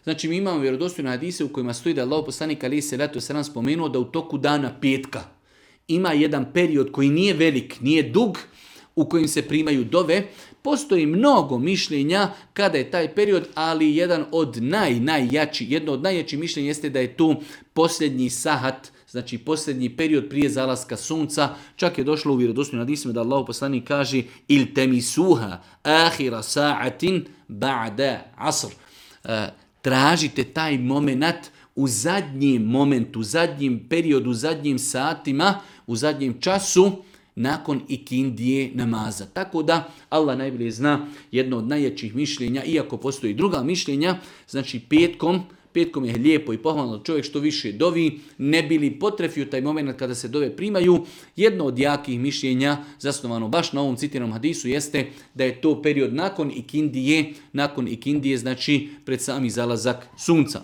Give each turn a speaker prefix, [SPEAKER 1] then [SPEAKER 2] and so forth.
[SPEAKER 1] Znači mi imamo vjerodostojne hadise u kojima stoji da je Allahov poslanik alejhi selatu vesselam spomenuo da u toku dana petka ima jedan period koji nije velik, nije dug, u kojim se primaju dove. Postoji mnogo mišljenja kada je taj period, ali jedno od najjačih mišljenja jeste da je tu posljednji sahat, znači posljednji period prije zalaska sunca. Čak je došlo u vjerodostojnim hadisima da Allahov poslanik kaže iltemisuha ahira sa'atin ba'da asr. Tražite taj moment u zadnjem momentu, u zadnjem periodu, u zadnjim satima, u zadnjem času nakon ikindije namaza. Tako da Allah najbolje zna jedno od najjačih mišljenja, iako postoji druga mišljenja, znači petkom je lijepo i pohvalno čovjek što više dovi, ne bi li potrefio taj moment kada se dove primaju. Jedno od jakih mišljenja, zasnovano baš na ovom citiranom hadisu, jeste da je to period nakon ikindije, znači pred sami zalazak sunca.